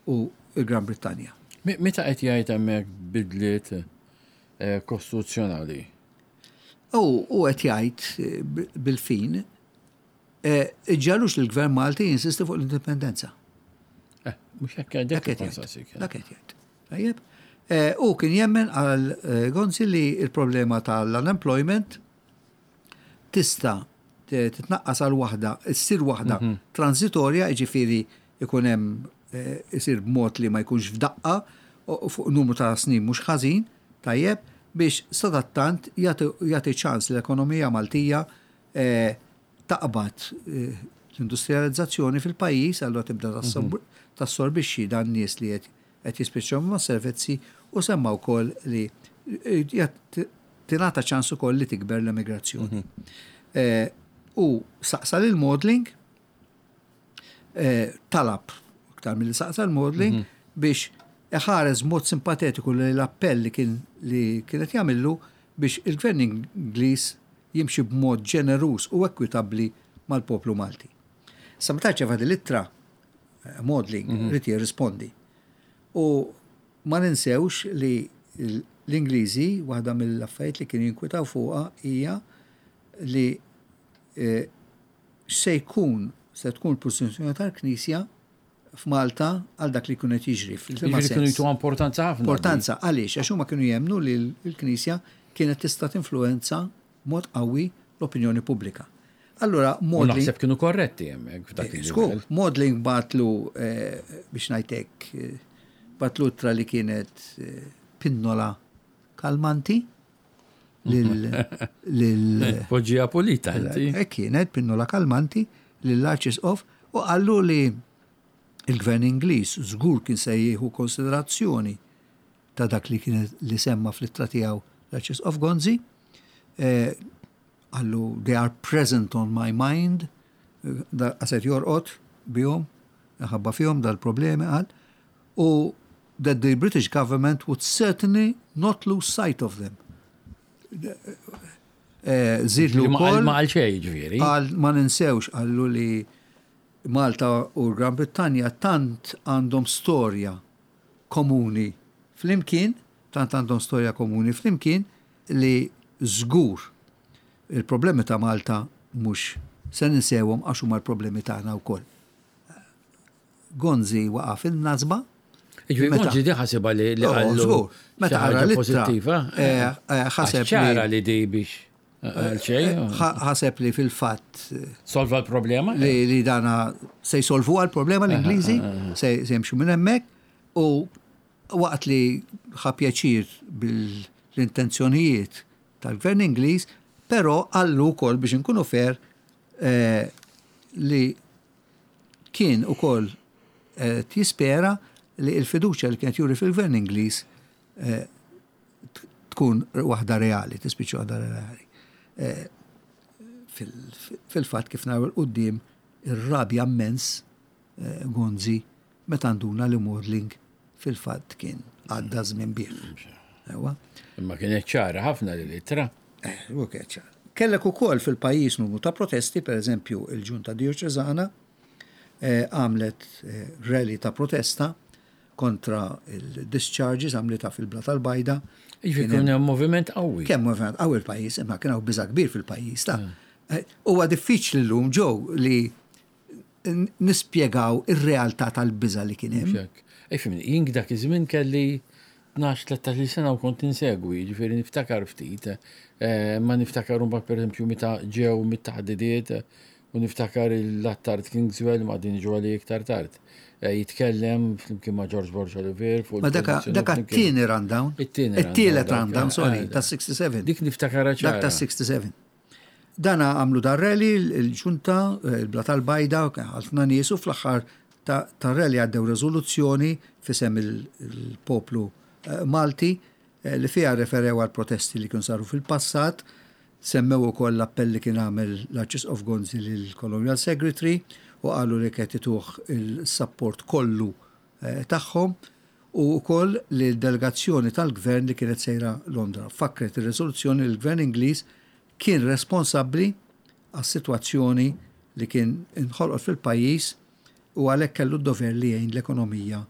u il-Gran Brittanja. Meta qed jgħid hemmhekk bidliet eh, kostituzzjonali? U u qed jgħid eh, bil-fin iġġagħlux l-Gvern Malti jinsisti fuq l-indipendenza. Mhux hekk. Dak qed jgħid. Dak qed jgħid. Tajjeb. U kien jemmen għal Gonzi li il-problema tal-unemployment tista' titnaqqas għal waħda, issir waħda mhm. transitorja, ġifieri ikun hemm isir b'mod li ma jkunx f'daqqa fuq numru ta' snin mhux ħażin, tajjeb, biex sadattant jagħti ċans l-ekonomija Maltija taqbad l-industrializzazzjoni fil-pajjiż, allura tibda mhm. tassorbixxi dan nies li qed jispiċċaw ma' servizzi, u semma wkoll li tingħata ċans ukoll li tikber l-emigrazzjoni. Mhm. Eh, u saqsa lil Maudling, eh, talab iktar mill saqsa l-Maudling mhm. biex iħares mod simpatetiku li l-appell li kien li kienet jagħmillu biex il-gvern Ingliż jimxi b'mod ġeneruż u ekwitabbli mal-poplu Malti. Sa meta rċeva l-ittra, eh, Maudling mm -hmm. ried jirrispondi. U ma ninsewx li l-Ingliżi, waħda mill-affarijiet li kienu jinkwitaw fuqha hija li eh, se jkun se tkun l-pożizzjoni tal-Knisja f'Malta għal dak li jkun qed jiġri. Kienu jtu importanza ħafna. Importanza għaliex? Għax huma kienu jemnu li l-Knisja kienet tista' tinfluenza mod qawwi l-opinjoni pubblika. Allura, Maudling. Naħseb kienu korretti hemmhekk f'dak il Maudling bagħatlu, eh, biex ngħidlek, eh, bagħatlu ittra li kienet eh, pinnola kalmanti lil. Poġġija pulita, inti. Kienet pinnola kalmanti lill-Arċisqof u qallu li il-gvern Ingliż żgur kien se jieħu konsiderazzjoni ta' dak li kien li semma fl-ittra tiegħu l-Arċisqof Gonzi. Qallu, "They are present on my mind", għaset jorqod bihom, ħabba fihom dal-problemi qal, u that the British government would certainly not lose sight of them. Żidlu wkoll. Ma qal xejn ġifieri. Qal ma ninsewx, qallu, li Malta u Gran Brittanja tant għandhom storja komuni flimkien, tant għandhom storja komuni flimkien li żgur il-problemi ta' Malta mhux se ninsewhom għax huma l-problemi tagħna wkoll. Gonzi waqa' fil-nazba. Ġifieri Gonzi di ħasibha li li qallu. Meta qara pożittiva. Eh, eh, ħaseb ċara li di biex għal ħaseb li fil-fatt Solva l-problema? Li, li dana se jsolvu għal-problema l-Ingliżi, se jimxu minn hemmhekk, u waqt li ħa pjaċir bil-intenzjonijiet tal-gvern Ingliż, però qallu wkoll, biex inkunu fair, eh, li kien ukoll eh, jispera li l-fiduċja li kienet juri fil-gvern Ingliż eh, tkun waħda reali, tispiċċa waħda reali. Fil-fatt, kif naraw 'il quddiem, ir-rabja immens Gonzi meta nduna li Maudling fil-fatt kien għadda żmien bih. Imma kienet ċara ħafna li l-ittra. Eh, u kienet ċara. Kellek ukoll fil-pajjiż numru ta' protesti, per eżempju, il-Ġunta Dioċesana eh, għamlet eh, rally ta' protesta kontra il-discharges, għamlitha fil-Blata l-Bajda. Ġifieri kien hemm moviment qawwi. Kemm moviment qawwi il-pajjiż, imma kien hawn biża' kbir fil-pajjiż ta'. Mm. Huwa diffiċli llum ġew li Nispjegaw ir-realtà tal-biża li kien hemm. Ej, fimni, jien dak iż-żmien kelli tnax tlettax-il sena u kont insegwi, ġifieri niftakar ftit, eh, ma niftakar mbagħad, pereżempju, meta ġew mit-taħdidiet u niftakar l-Attard Kingswell, ma din ġu għali iktar tard. Eh, jitkellem flimkien ma' George Borg Olivier fuq. Ma daka it-tieni rundown. It-tieni. It-tielet rundown, sorry, ta' sitta u sebgħin. Dik niftakar. Dak ta' sitta u sebgħin. Dana għamlu dar-rally, il-ġunta, il-Blata tal-Bajda, ħafna nies, u fl-aħħar ta' rally għaddew rezoluzzjoni f'isem il-poplu eh, Malti eh, li fiha referew għal protesti li kienu saru fil-passat, semmew ukoll l-appell li kien għamel l-Arċisqof Gonzi lill-Colonial Secretary u qalu li qed ituh il-support kollu eh, tagħhom u wkoll li l-delegazzjoni tal-gvern li kienet sejra Londra. Fakret ir-rezoluzzjoni li l-gvern Ingliż kien responsabbli għas-sitwazzjoni li kien inħolqot fil-pajjiż u għalhekk kellu d-dover li jgħin l-ekonomija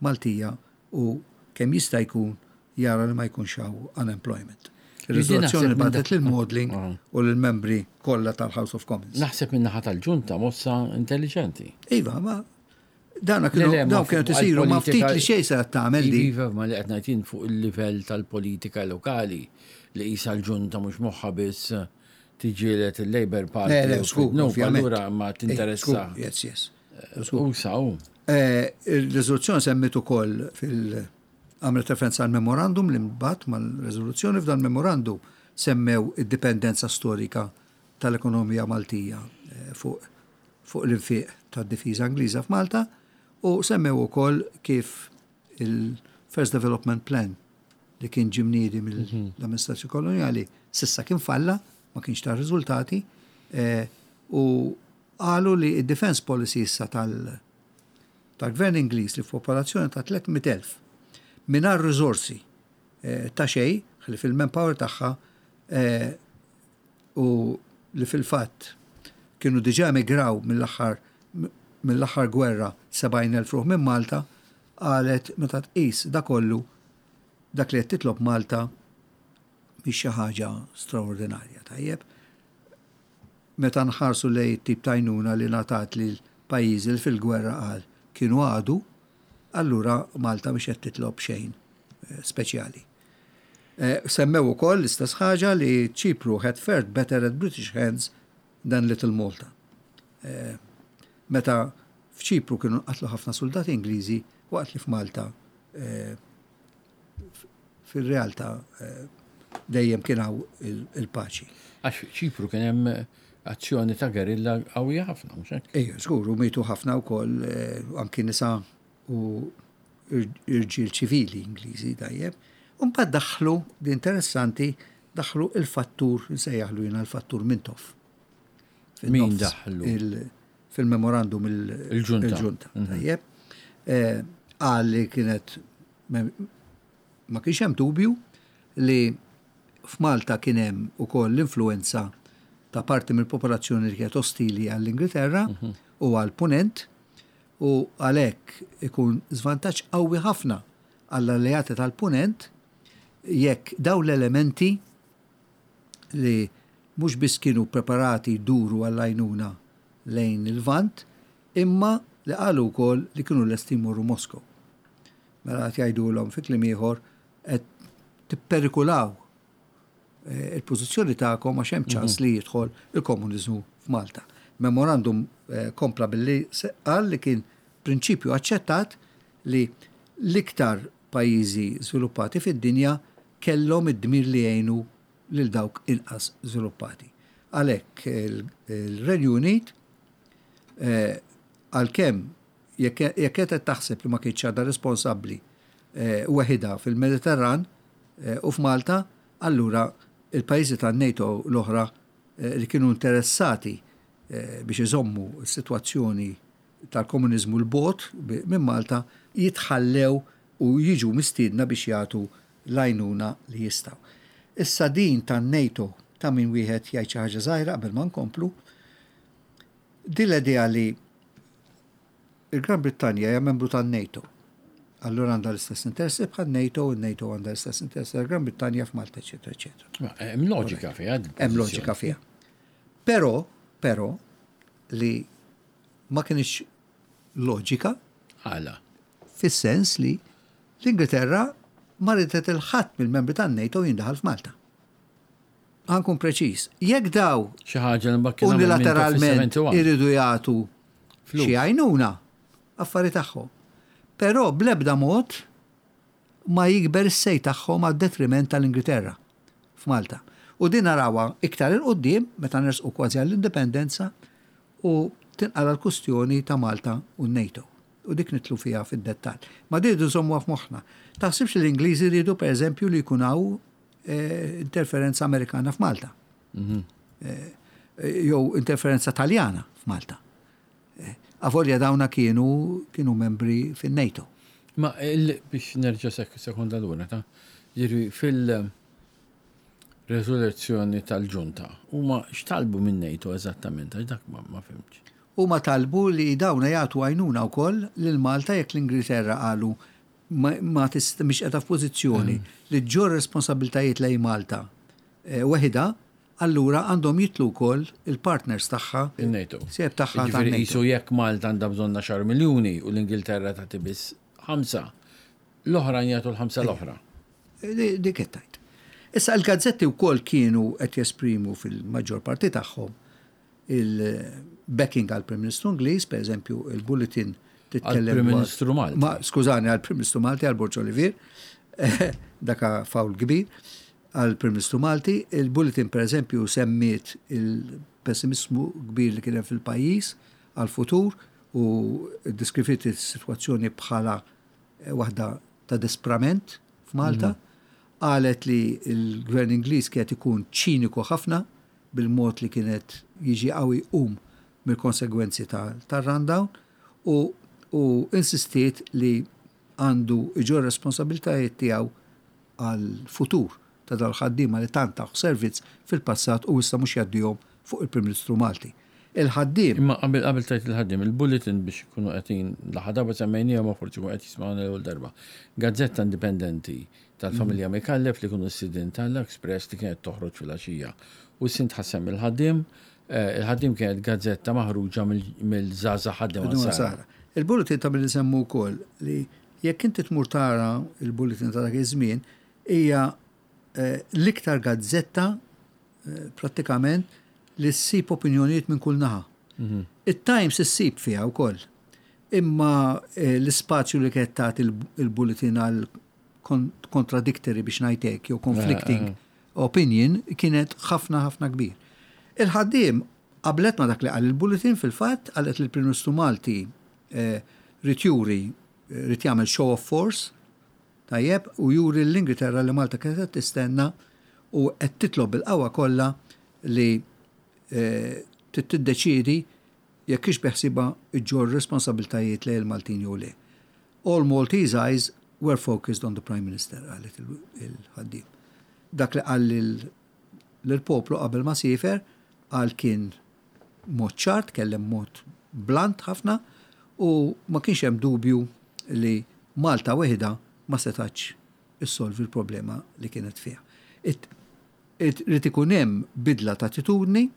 Maltija u kemm jista' jkun jara li ma jkunx hawn unemployment. Il-riżoluzzjoni bagħtet lil Maudling ah. u lill-membri kollha tal-House of Commons. Naħseb minn naħa tal-ġunta mossa intelligenti. Iva, ma dana kienu dawn kienu tisiru ma ftit li xejn se tagħmel di. Iva, ma li qed ngħid fuq il-livell tal-politika lokali li qisha l-ġunta mhux moħħa biss tiġġieled il-Labour Party. Le, le, żgur, allura ma tinteressa. Yes, yes. U saw. Eh, il-riżoluzzjoni semmit ukoll fil- għamlet referenza għal memorandum li mbagħad mal-riżoluzzjoni. F'dan memorandum semmew id-dipendenza storika tal-ekonomija Maltija eh, fuq fuq l-infiq tad-difiża Ingliża f'Malta u semmew ukoll kif il-First Development Plan li kien ġie mniedi mill-amministrazzjoni koloniali s'issa kien falla, ma kienx ta' riżultati, eh, u qalu li id-defense policy issa tal- tal-gvern Ingliż li f'popolazzjoni ta' tliet mitt elf mingħajr riżorsi eh, ta' xej, li fil-manpower tagħha eh, u li fil-fatt kienu diġà emigraw mill-aħħar mill-aħħar gwerra sebgħin elf ruħ minn Malta, qalet meta tqis da kollu, dak li qed titlob Malta mhix xi ħaġa straordinarja, tajjeb. Meta nħarsu lej tip ta' għajnuna li ngħatat lil pajjiżi li fil-gwerra qal kienu għadu, allura Malta mhix qed titlob xejn eh, speċjali. Eh, semmew ukoll l-istess ħaġa li Ċipru had fared better at British hands than Little Malta. Eh, meta f'Ċipru kienu qatlu ħafna soldati Ingliżi waqt li f'Malta fil-realtà dejjem kien hawn il-paċi. Għax Ċipru kien hemm azzjoni ta' gerilla qawwija ħafna, mhux hekk? Ejja, żgur, u mietu ħafna wkoll anki nisa u irġiel ċivili Ingliżi, tajjeb. U mbagħad daħlu, di interessanti, daħlu il-fattur, nsejjaħlu jiena l-fattur Mintoff. Min daħlu? Fil-memorandum. Il-ġunta. Il-ġunta. Tajjeb. Qal li kienet ma kienx hemm dubju li f'Malta kien hemm ukoll l-influenza ta' parti mill-popolazzjoni li kienet ostili għall-Ingilterra u għall-Punent u għalhekk ikun żvantaġġ qawwi ħafna għall-alleati tal-Punent jekk daw l-elementi li mhux biss kienu preparati jduru għall-għajnuna lejn il-Lvant, imma li qalu wkoll li kienu lesti jmorru Moskow. Mela qed jgħidulhom, fi kliem ieħor, qed tipperikulaw eh, il-pożizzjoni tagħkom għax hemm ċans li jidħol il-komuniżmu f'Malta. Memorandum eh, kompla billi qal li kien prinċipju aċċettat li l-iktar pajjiżi żviluppati fid-dinja kellhom id-dmir li jgħinu lil dawk inqas żviluppati. Għalhekk il-Renju Unit, eh, għalkemm jekk qed taħseb li ma kienx għadha responsabbli eh, weħida fil-Mediterran eh, u f'Malta, allura il-pajjiżi tan-NATO l-oħra li kienu interessati biex iżommu s-sitwazzjoni tal-komuniżmu 'l bogħod minn Malta jitħallew u jiġu mistiedna biex jagħtu l-għajnuna li jistgħu. Issa din tan-NATO ta' min wieħed jgħid xi ħaġa żgħira qabel ma nkomplu. Din l-idea li il-Gran Brittanja hija membru tan-NATO. Allura għandha l-istess interessi bħal NATO, il-NATO għandha l-istess interessi tal-Gran Brittanja f'Malta, eċetera, eċetera. Hemm loġika fiha. Hemm loġika fiha. Però, però, li Ma kienx loġika. Għala? Fis-sens li l-Ingilterra ma ridet lil ħadd mill-membri tan-NATO jindaħal f'Malta. Ħa nkun preċiż. Jekk daw Xi ħaġa li mbagħad kien unilateralment iridu jagħtu Flus. xi għajnuna, affari tagħhom. Però bl-ebda mod ma jikber is-say tagħhom għad-detriment tal-Ingilterra f'Malta. U din narawha iktar 'il quddiem meta nersqu kważi għall-indipendenza u tinqala l-kustjoni ta' Malta u NATO. U dik nidħlu fiha fid-dettall. Ma din irridu nżommuha f'moħħna. Taħsibx li l-Ingliżi rridu, pereżempju, li jkun hawn eh, interferenza Amerikana f'Malta? Eh, jew interferenza Taljana f'Malta. Eh, Avolja dawna kienu kienu membri fin-NATO. Ma il, biex nerġa' sek sekonda lura ta' ġiri fil-rezoluzzjoni tal-ġunta, huma x'talbu minn NATO eżattament, għax dak ma, ma fhimtx. Huma talbu li dawna jagħtu għajnuna wkoll lil Malta jekk l-Ingilterra qalu ma, ma tist, mhix qiegħda f'pożizzjoni li ġġorr responsabiltajiet lejn Malta eh, weħida, allura għandhom jidħlu wkoll il-partners tagħha, Il-NATO. Sieb tagħha Ġifieri tan-NATO. qisu jekk Malta għandha bżonn għaxar miljuni u l-Ingilterra tagħti biss ħamsa, l-oħrajn jagħtu l-ħamsa l-oħra. Di- Dik qed tgħid. Issa l-gazzetti wkoll kienu qed jesprimu fil-maġġor parti tagħhom il-backing għal-Prim Ministru Ingliż, per eżempju, il-Bulletin titkellem Għall-Prim dwar- Ministru Malti. Ma, skużani, għal-Prim Ministru Malti, għal Borg Olivier, daka fawl kbir, għal-Prim Ministru Malti. Il-Bulletin, per eżempju, semmiet il-pessimismu kbir li kien hemm fil-pajjiż għal-futur u deskriviet is-sitwazzjoni bħala eh, waħda ta' disprament f'Malta. Qalet li l-gvern Ingliż kienet ikun ċiniku ħafna bil-mod li kienet jiġi qawwi um mill-konsegwenzi tar-rundown u, u insistiet li għandu iġorr responsabiltajiet tiegħu għal-futur ta' dal-ħaddiema li tant taw servizz fil-passat u issa mhux jgħaddihom fuq il-Prim Ministru Malti. Il-ħaddiem Imma qabel qabel tajt il-ħaddiem, il-Bulletin, biex ikunu qegħdin l darba semmejnija, ma forsi jkunu qed jismgħuna l-ewwel darba. Gazzetta indipendenti tal-familja Micallef li kienu s-sidin tal-Express li kienet toħroġ fil-għaxija. U sint ħassem il-ħaddiem, eh, il-ħaddiem kienet gazzetta maħruġa mill-żgħażagħ ħaddiem Ħaddiema Sara. Sara. Il-Bulletin ta' billi semmu wkoll li jekk inti tmur tara il-Bulletin ta' dak iż-żmien hija eh, l-iktar gazzetta eh, prattikament li ssib opinjonijiet minn kull naħa. Il-Times issib fiha wkoll. Imma eh, l-ispazju li kienet tagħti il- il-Bulletin għal kon- contradictory, biex ngħidlek, jew conflicting opinion kienet ħafna ħafna kbir. Il-ħaddiem qablet ma dak li qal il-Bulletin. Fil-fatt qalet li l-Prim Ministru Malti eh, ried juri eh, ried jagħmel show of force, tajjeb, u juri l-Ingilterra li Malta kienet qed tistenna u qed titlob bil-qawwa kollha li eh, trid tiddeċiedi jekk hix beħsiebha iġġorr responsabiltajiet lejn il-Maltin jew le. "All Maltese eyes were focused on the Prime Minister," qalet il- il-ħaddiem. Dak li qal lil- lill-poplu qabel ma siefer qal kien mod ċar, tkellem mod blunt ħafna u ma kienx hemm dubju li Malta weħida ma setax issolvi l-problema li kienet fiha. It- it- Irid ikun hemm bidla ta' attitudni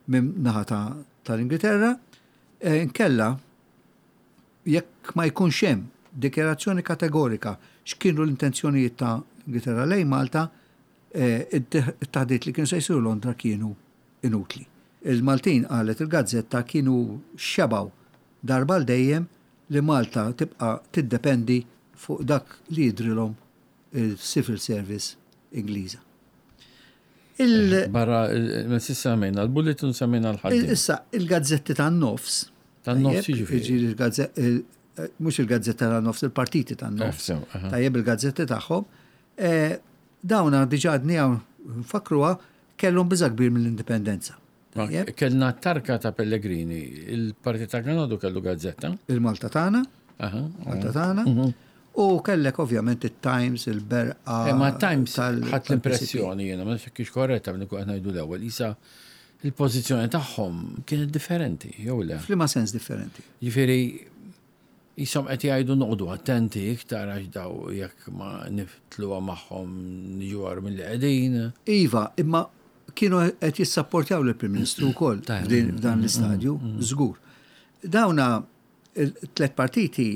minn naħa ta' tal-Ingilterra, eh, nkella jekk ma jkunx hemm dikjarazzjoni kategorika x'kienu l-intenzjonijiet ta' Ingilterra lejn Malta, eh, it-taħdiet li kienu se jsiru Londra kienu inutli. Il-Maltin, qalet il-gazzetta, kienu xebaw darba l dejjem li Malta tibqa' tiddependi fuq dak li jidrilhom il-Civil Service Ingliża. Il- Barra, ma s'issa semmejna l-Bulletin, semmejna l-ħaddiem. Issa, il-gazzetti tan-nofs. Tan-nofs Tajjeb, jiġifieri? Jiġifieri il-gazze- il- eh, mhux il-gazzetta tan-nofs, il-partiti tan-nofs. Eh, sew, aha. Tajjeb, il-gazzetti tagħhom. Eh, Dawna diġà għadni hawn nfakruha kellhom biża' kbir mill-indipendenza. Ma Tajjeb, Kellna tarka ta' Pellegrini, il-Partit ta' Granado kellu gazzetta. Il-Malta tagħna, Aha. Malta tagħna. U kellek ovvjament il-Times, il-Berqa. Eh, Ma Times tal- ħadd tal-P C P. l-impressjoni jiena, ma nafx kiex korretta minn qed ngħidu l-ewwel, isa il-pożizzjoni tagħhom kienet differenti, jew le? F'liema sens differenti? Ġifieri jisom qed jgħidu noqogħdu attenti iktar għax daw jekk ma niftluha magħhom niġu agħar milli qegħdin. Iva, imma kienu qed jissapportjaw lill-Prim Ministru wkoll Tajjeb. f'din- f'dan l-istadju, żgur. Dawna il-tlet partiti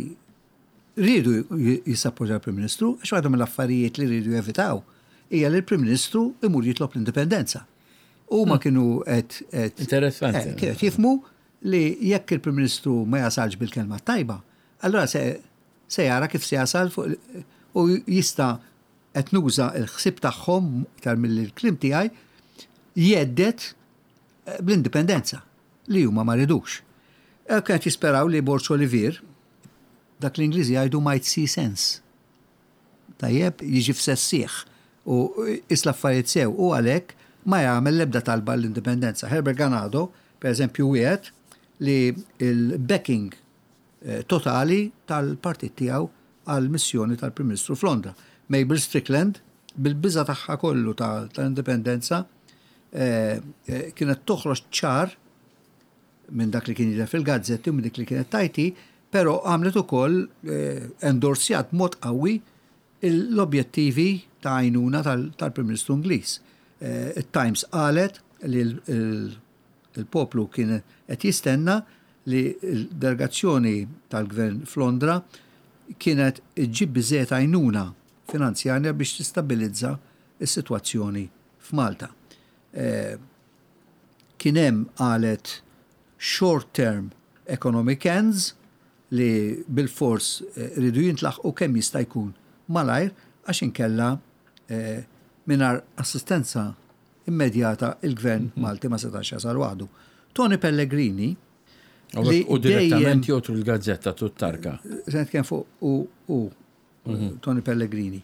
rridu jissappoġġjaw il-Prim Ministru, għax waħda mill-affarijiet li rridu jevitaw hija li l-Prim Ministru imur jitlob l-indipendenza. U ma kienu qed Interessanti. Eh, kienu jifhmu li jekk il-Prim Ministru ma jasalx bil-kelma tajba, allora se, se jara kif se jasal fuq u jista' qed nuża l-ħsieb tagħhom iktar mill-kliem tiegħi jhedded eh, bl-indipendenza li huma ma ridux. Eh, Kienet jisperaw li Borg Olivier, dak l-Ingliżi jgħidu might see sense. Tajjeb, jiġi f'sensih u jqis l-affarijiet sew u għalhekk ma jagħmel l-ebda talba l-indipendenza. Herbert Ganado, per eżempju, wieħed li il-backing eh, totali tal-partit tiegħu għal missjoni tal-Prim Ministru f'Londra. Mabel Strickland, bil-biża tagħha kollu tal-indipendenza, eh, eh, kienet toħroġ ċar minn dak li kien jidher fil-gazzetti u minn dik li kienet tajti, pero għamlet ukoll eh, endorsjat mod qawwi l-objettivi ta' għajnuna tal-Prim Ministru Ingliż. Eh, Il-Times qalet li il-poplu kien qed jistenna li l-delegazzjoni tal-gvern f'Londra kienet iġġib biżejjed għajnuna finanzjarja biex tistabilizza is-sitwazzjoni f'Malta. Eh, Kien hemm qalet short term economic ends li bil-fors eh, ridu jintlaħqu kemm jista' jkun malajr, għax inkella eh, mingħajr assistenza immedjata il-gvern Malti ma setax jasal waħdu. Tony Pellegrini li U direttament jotru l-gazzetta tut-tarka. Se nitkellem fuq u, u Tony Pellegrini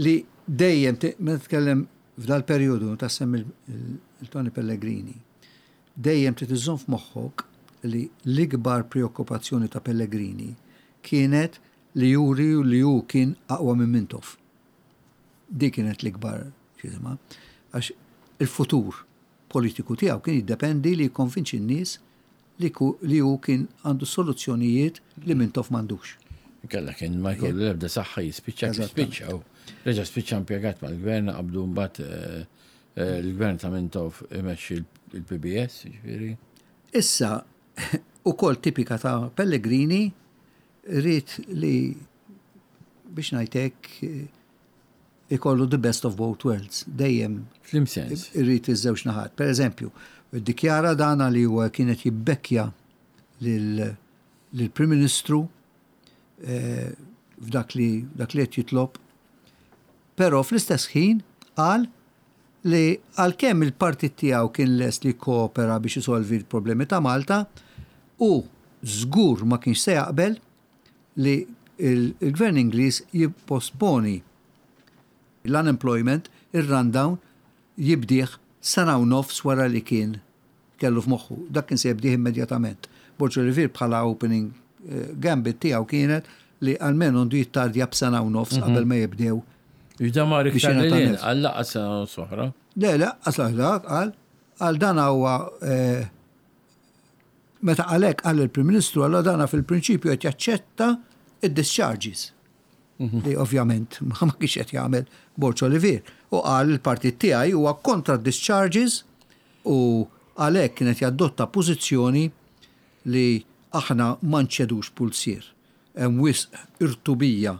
li dejjem meta tkellem f'dal periodu ta' sem il-Tony Pellegrini, dejjem trid iżżomm f'moħħok li l-ikbar preokkupazzjoni ta' Pellegrini kienet li juri li hu kien aqwa minn Mintoff. Di kienet l-ikbar xizma, għax il-futur politiku tiegħu kien jiddependi li jikkonvinċi n-nies li li hu kien għandu soluzzjonijiet li Mintoff m'għandux. Kella kien ma jkollu l-ebda saħħa, jispiċċa kif spiċċa. Reġa spiċċa impjegat mal-gvern, qabdu mbagħad eh, eh, l-gvern ta' Mintoff imexxi il-P B S, ġifieri. Issa, ukoll tipika ta' Pellegrini, rrit li biex ngħidlek ikollu the best of both worlds. Dejjem F'liema sens. Irrid iż-żewġ naħat. Per eżempju, dikjara dana li huwa kienet jibbekkja lill-Prim Ministru eh, f'dak li dak li qed jitlob. Però fl-istess ħin qal li għalkemm il-partit tiegħu kien lest li koopera biex isolvi l-problemi ta' Malta, u żgur ma kienx se jaqbel li il-gvern Ingliż jipposponi l-unemployment, il-rundown, jibdih sena u nofs wara li kien kellu f'moħħu. Dak kien se jibdih immedjatament. Borg Olivier bħala opening eh, gambit tiegħu kienet li almenu għandu jittardja b'sena u nofs qabel ma jibdew. Iġda mar Biex iktar jingħata li nifs. għal laqas sena u oħra. Le, le, asla dak, għal, għal dan huwa eh, meta għalek għal il-Prim Ministru, għalla dana fil-prinċipju qed jaċċetta id-discharges. Li ovvjament ma kienx qed jagħmel Borg Olivier. U qal il-partit tiegħi huwa kontra discharges u għalhekk kienet jadotta pożizzjoni li aħna ma nċedux pulsier. Hemm wisq irtubija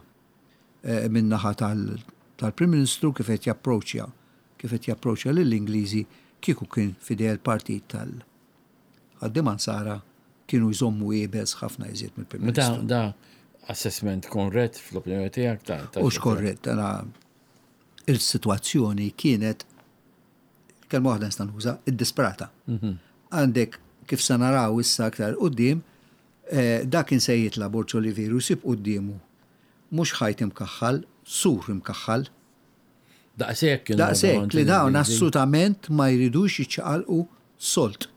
eh, min-naħa tal-Prim Ministru kif qed japproċċja kif qed japproċċja lill-Ingliżi. Kieku kien f'idejh il-partit tal-ħaddiema Nsara, kienu jżommu iebes ħafna iżjed mill-Prim Ma da, Ministru. da assessment korrett fl-opinjoni tiegħek ta' ta' U xkorrett, għana il-situazzjoni kienet, kelma waħda nista' nuża, id-disprata. Għandek kif se naraw issa aktar quddiem, eh, dak kien se jitla' Borg Olivier u jsib quddiemu mhux ħajt imkaħħal, sur imkaħħal. Daqshekk kienu Daqshekk li dawn l-Ingliżi. assolutament ma jridux jiċċaqalqu solt.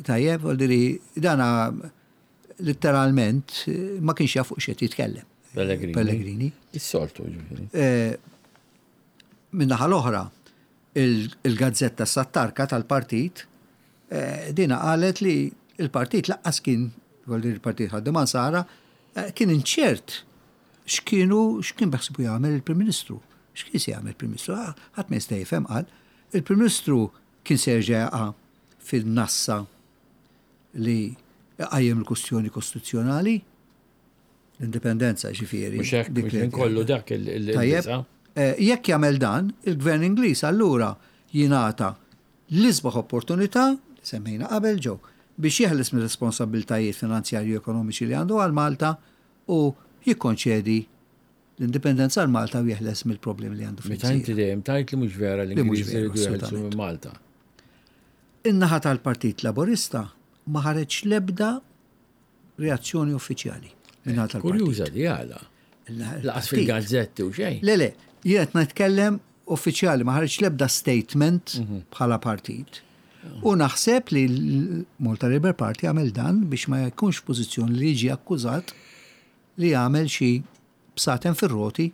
Tajjeb, vuol dana letteralment eh, ma kienx jaf fuq x'qed jitkellem. Pellegrini. Pellegrini. Is-soltu ġifieri. Eh, Min-naħa l-oħra, il- il-gazzetta Sattarka tal-partit, eh, dina qalet li il-partit lanqas kien, vuol dire il-partit ħaddiema Nsara, eh, kien inċert x'kienu x'kien beħsibu jagħmel il-Prim Ministru. X'kien se jagħmel il-Prim Ministru? Ah, ħadd ma jista' jifhem, qal. Il-Prim Ministru kien se jerġa' jaqa' fil-nassa li Iqajjem il-kustjoni kostituzzjonali, l-indipendenza ġifieri. Mhux hekk, mhux kollu dak il- Tajjeb, eh, jekk jagħmel dan, il-Gvern Ingliż allura jingħata l-isbaħ opportunità, li semmejna qabel ġew, biex jeħles minn responsabbiltajiet finanzjarji u ekonomiċi li għandu għal Malta u jikkonċedi l-indipendenza għal Malta u jeħles mill-problemi li għandu Meta inti dejjem tajt li mhux vera Li mhux l-Ingliżi vera, jridu jeħelsu assolutament. minn Malta. In-naħa tal-Partit Laburista ma ħareġ l-ebda reazzjoni uffiċjali min-naħa tal-partit. Kurjuża di għala. Il-naħa Laqas tal-partit. fil-gazzetti u xejn. Le, le, jien qed nitkellem uffiċjali, ma ħareġ l-ebda statement bħala partit. U naħseb li l-Malta Labour Party għamel dan biex ma jkunx pożizzjoni li jiġi akkużat li għamel xi bsaten fir-roti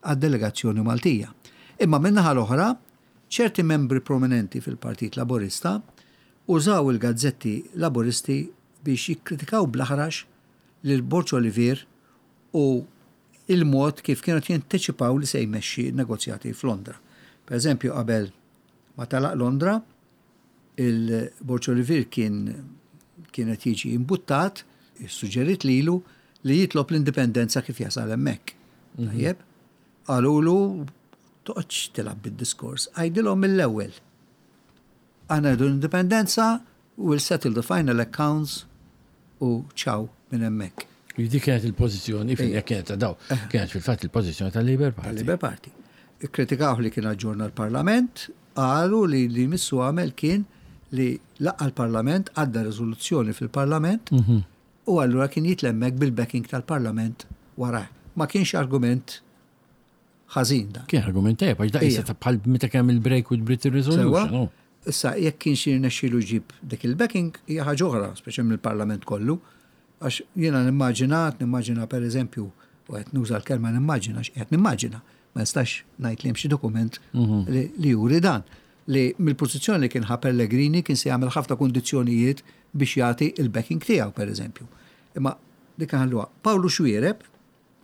għad-delegazzjoni Maltija. Imma min-naħa l-oħra, ċerti membri prominenti fil-Partit Laburista użaw il-gazzetti laburisti biex jikkritikaw bl-aħrax lil Borg Olivier u il-mod kif kienu jantiċipaw li se jmexxi negozjati f'Londra. Per eżempju, qabel ma telaq Londra, il-Borg Olivier kien kienet jiġi imbuttat, suġġerit lilu li jitlob l-indipendenza kif jasal hemmhekk. Tajjeb, qalulu toqgħodx tilgħab bid-diskors, għidilhom mill-ewwel. Aħna rridu l-indipendenza, we'll settle the final accounts u ciao minn hemmhekk. Dik kienet il-pożizzjoni, fin kienet ta' daw, kienet fil-fatt il-pożizzjoni tal-Labour Party. Tal-Labour Party. Ikkritikaw li kien aġġorna l-Parlament, qalu li li missu għamel kien li laqqa l-Parlament, għadda rezoluzzjoni fil-Parlament, u allura kien jitlemmek bil-backing tal-Parlament wara. Ma kienx argument ħażin dan. Kien argument tajjeb, għax da Ija. issa ta' bħal meta kemm il-break with Britain Resolution. Sewa? oh. Issa, jekk kienx jirnexxielu jġib dik il-backing, hija ħaġa oħra, speċi mill-Parlament kollu, għax jiena nimmaġina, nimmaġina per eżempju, u qed nuża l-kelma nimmaġina, għax qed nimmaġina, ma nistax ngħid li hemm xi dokument li, li juri dan, li mill-pożizzjoni li kien ħa Pellegrini kien se jagħmel ħafna kundizzjonijiet biex jagħti il-backing tiegħu per eżempju. Imma dik ħalluha. Pawlu Xuereb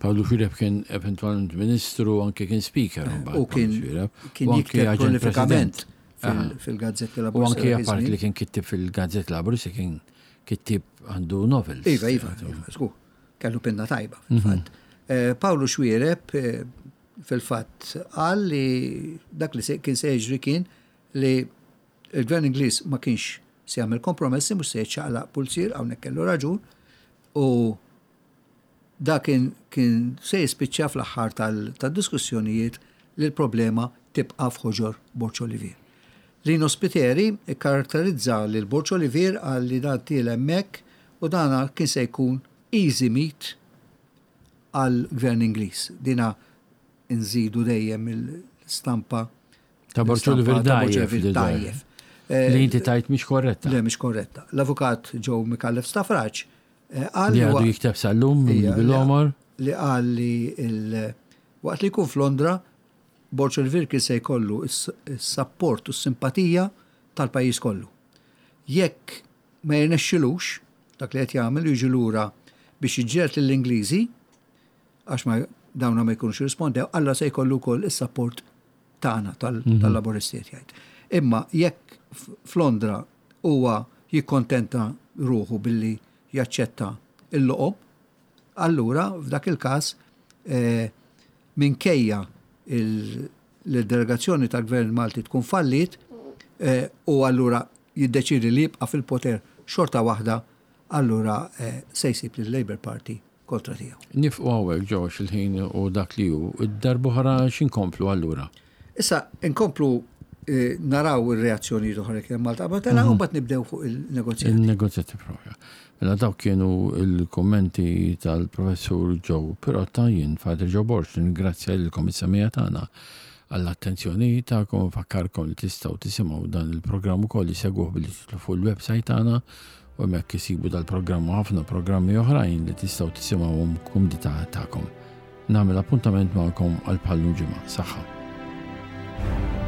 Pawlu Xuereb kien eventualment ministru, anke kien speaker. mbagħad u kien Pawlu Xuereb. kien U anke jikteb aġent prolifikament president. fil- fil-gazzetti U Laburista. anke dak apart iż-żmien. li kien kittib fil-Gazzetta Laburista kien kittib għandu novels. Iva, iva, iva, żgur. Kellu pinna tajba, fil-fatt. Eh, Pawlu Xuereb eh, fil-fatt qal li dak li se- kien se jiġri kien li il-gvern Ingliż ma kienx se jagħmel kompromessi mhux se jiċċaqlaq pulzier hawnhekk kellu raġun u da kien kien se jispiċċa fl-aħħar tal- tad-diskussjonijiet li l-problema tibqa' f'ħoġor Borg Olivier. Lino Spiteri ikkaratterizza lil Borg Olivier għal li dan tiel hemmhekk u dana kien se jkun easy meat għal gvern Ingliż. Dina nżidu dejjem il-stampa Ta' Borg l-istampa Olivier ta' Borg dajjef. Olivier li dajjef. Li inti tajt mhix korretta. Le, mhix korretta. L-avukat Joe Micallef Stafrace eh, qal Li li għadu huwa- jikteb sal-lum Ija, bil-omor. li qal li il- waqt li jkun f'Londra, Borg Olivier kien se jkollu s-sapport u s-simpatija tal-pajjiż kollu. Jekk ma jirnexxilux dak li qed jagħmel jiġi lura biex jiġġieled lill-Ingliżi, għax ma dawna ma jkunux jirrispondew, alla se jkollu wkoll is-sapport tagħna tal- tal-Laburisti qed jgħid. Imma jekk f- f'Londra huwa jikkontenta ruħu billi jaċċetta il-loqob, allura f'dak il-każ eh, minkejja il- l-delegazzjoni tal-Gvern Malti tkun fallit eh, u allura jiddeċidi li jibqa' fil-poter xorta waħda, allura eh, se jsib lill-Labour Party kontra tiegħu. Nieqfu hawnhekk ġo il-ħin u dak li hu. Id-darb'oħra x'inkomplu allura? Issa, inkomplu eh, naraw ir-reazzjoni oħra li kien Malta qabel telaq u mbagħad nibdew fuq il-negozjati. Il-negozjati propja. Mela dawk kienu il-kommenti tal-professur Joe Pirotta, jien Father Joe Borg, ningrazzja lilkom is-semmiegħa tagħna għall-attenzjoni tagħkom, fakkarkom li tistgħu tisimgħu dan il-programm ukoll issegwuh billi tidħlu fuq il-website tagħna u hemmhekk isibu dal-programm u ħafna programmi oħrajn li tistgħu tisimgħuhom kumdità tagħkom. Nagħmel appuntament magħkom għal bħal ġimgħa. Saħħa.